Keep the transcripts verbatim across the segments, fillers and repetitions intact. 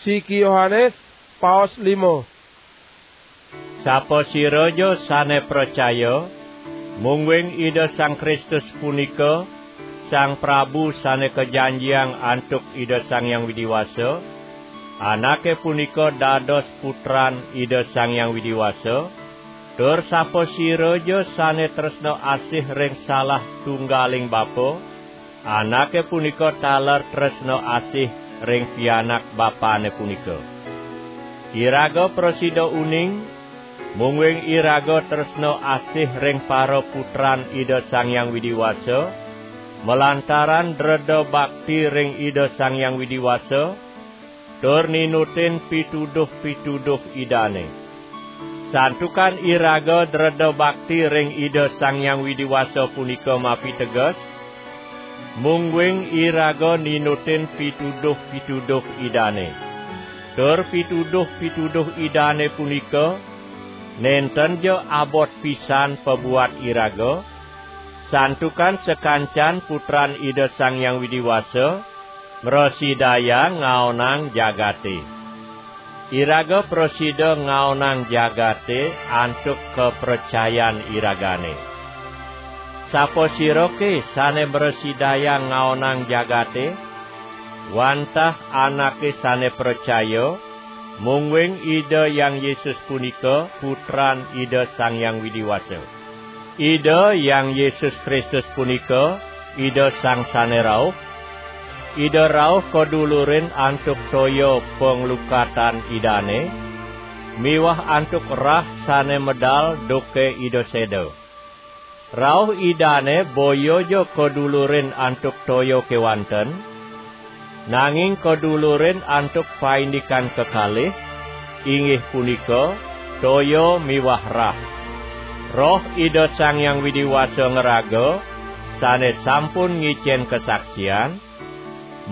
Siki Yohanes, paos limo. Sapasiraja sane pracaya, mungguing Ida Sang Kristus punika Sang Prabu sane kajanjiang antuk Ida Sang Hyang Widi Wasa, anake punika dados putran Ida Sang Hyang Widi Wasa, tur sapasiraja sane tresna asih ring salah tunggaling bapa, anake punika taler tresna asih ring pianak bapane punika. Iraga prasida uning, mungguing iraga tresna asih ring para putran Ida Sang Hyang Widi Wasa, malantaran dreda bakti ring Ida Sang Hyang Widi Wasa, tur ninutin pituduh-pituduh Idane. Santukan iraga dreda bakti ring Ida Sang Hyang Widi Wasa punika mapiteges, mungguing iraga ninutin pituduh-pituduh Idane. Tur pituduh-pituduh Idane punika nenten ja abot pisan pabuat iraga, santukan sakancan putran Ida Sang Hyang Widi Wasa mrasidayang ngaonang jagate. Iraga prasida ngaonang jagate antuk kapracayan iragane. Sapasirake sane mrasidayang ngaonang jagate? Wantah anake sane pracaya, mungguing Ida Hyang Yesus punika Putran Ida Sang Hyang Widi Wasa. Ida Hyang Yesus Kristus punika Ida Sang Sane Rauh. Ida rauh kadulurin antuk toya panglukatan Idane, miwah antuk rah sane medal duke Ida seda. Rauh Idane boya ja kadulurin antuk toya kewanten, nanging kadulurin antuk paindikan kekalih, inggih punika toya miwah rah. Roh Ida Sang Hyang Widi Wasa ngraga, sane sampun ngicen kasaksian,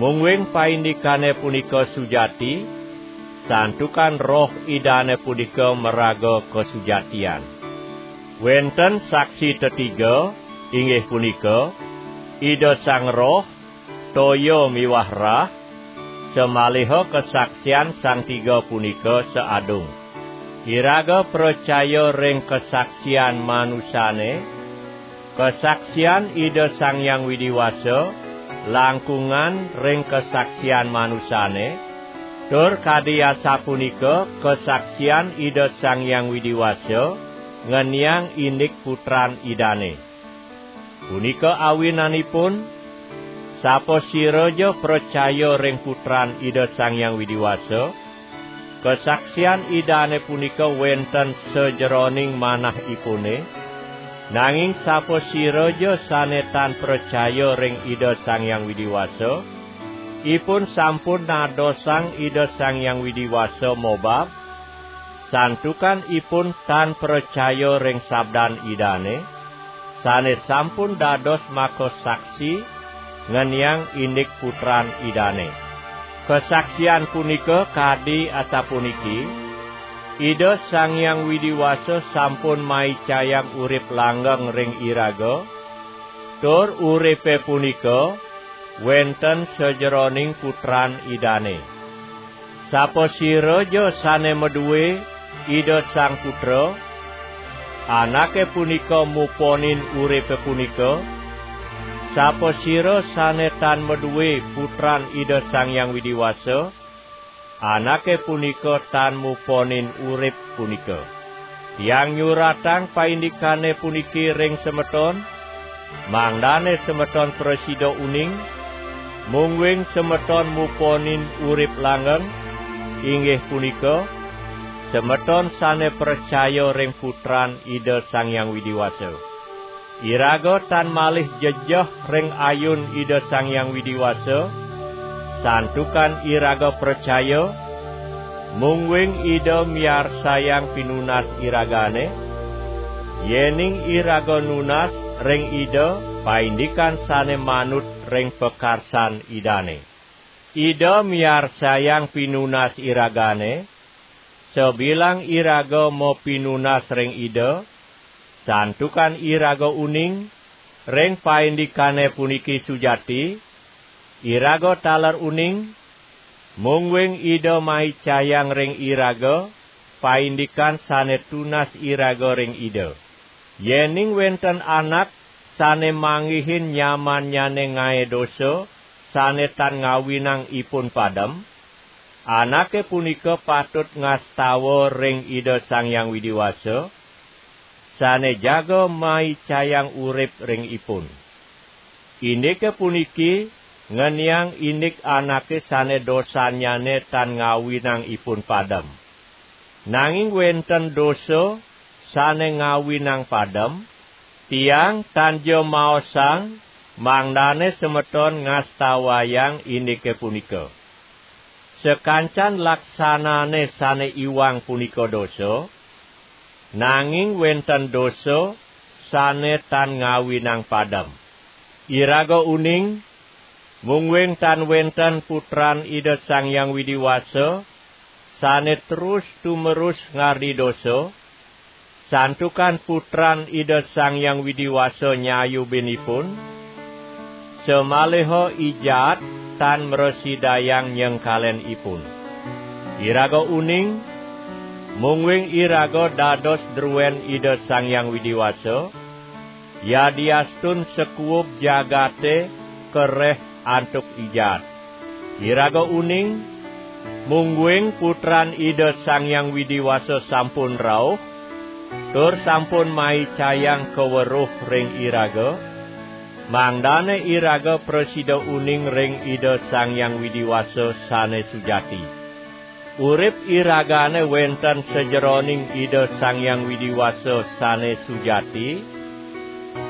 mungguing paindikane punika sujati, santukan Roh Idane punika maraga kasujatian. Wenten saksi tetiga, inggih punika Ida Sang Roh, toya miwah rah, samaliha kasaksian sang tiga punika saadung. Iraga pracaya ring kasaksian manusane, kasaksian Ida Sang Hyang Widi Wasa langkungan ring kasaksian manusane, tur kadi asapunika kasaksian Ida Sang Hyang Widi Wasa ngeniang indik Putran Idane. Punika awinanipun, sapasiraja pracaya ring Putran Ida Sang Hyang Widi Wasa, kasaksian Idane punika wenten sajeroning manahipune, nanging sapasiraja sane tan pracaya ring Ida Sang Hyang Widi Wasa, ipun sampun nadosang Ida Sang Hyang Widi Wasa mobab, santukan ipun tan pracaya ring sabdan Idane, sane sampun dados makasaksi ngeniang indik Putran Idane. Kasaksian punika kadi asapuniki: Ida Sang Hyang Widi Wasa sampun maicayang urip langgeng ring iraga, tur uripe punika wenten sajeroning Putran Idane. Sapasiraja sane madue Ida Sang Putra, anake punika muponin uripe punika. Sapasira sane tan madue Putran Ida Sang Hyang Widi Wasa, anake punika tan muponin urip punika. Tiang nyuratang paindikane puniki ring semeton, mangdane semeton prasida uning, mungguing semeton muponin urip langgeng, inggih punika, semeton sane pracaya ring Putran Ida Sang Hyang Widi Wasa. Iraga tan malih jejeh ring ayun Ida Sang Hyang Widi Wasa, santukan iraga pracaya, mungguing Ida miarsayang pinunas iragane, yening iraga nunas ring Ida paindikan sane manut ring pakarsan Idane. Ida miarsayang pinunas iragane, sabilang iraga mapinunas ring Ida, santukan iraga uning ring paindikane puniki sujati, iraga taler uning, Mungguing Ida maicayang ring iraga paindikan sane tunas iraga ring Ida. Yening wenten anak sane manggihin nyamannyane ngae dosa sane tan ngawinang ipun padem, anake punika patut ngastawa ring Ida Sang Hyang Widi Wasa, sane jaga maicayang urip ring ipun. Indike puniki ngeniang indik anake sane dosannyane tan ngawinang ipun padem. Nanging wenten dosa sane ngawinang padem, tiang tan ja maosang mangdane semeton ngastawayang indike punika. Sakancan laksanane sane iwang punika dosa, nanging wenten dosa sane tan ngawinang padem. Iraga uning, mungguing tan wenten Putran Ida Sang Hyang Widi Wasa, sane terus tumerus ngardi dosa, santukan Putran Ida Sang Hyang Widi Wasa nyayubin ipun, samaliha I Jaat tan mrasidayang nyengkalen ipun. Iraga uning, mungguing iraga dados druen Ida Sang Hyang Widi Wasa, yadiastun sakuub jagate kareh antuk I Jaat. Iraga uning, mungguing Putran Ida Sang Hyang Widi Wasa sampun rauh, tur sampun maicayang kaweruh ring iraga, mangdane iraga prasida uning ring Ida Sang Hyang Widi Wasa sane sujati. Urip iragane wenten sajeroning Ida Sang Hyang Widi Wasa sane sujati,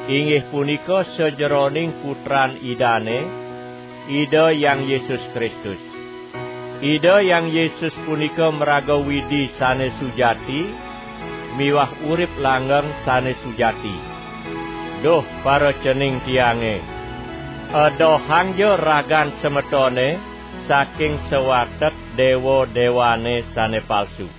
inggih punika sajeroning Putran Idane, Ida Hyang Yesus Kristus. Ida Hyang Yesus punika maraga Widi sane sujati miwah urip langgeng sane sujati. Duh paracening tiange, edohangja ragan semetone saking sawatek dewa-dewane sane palsu.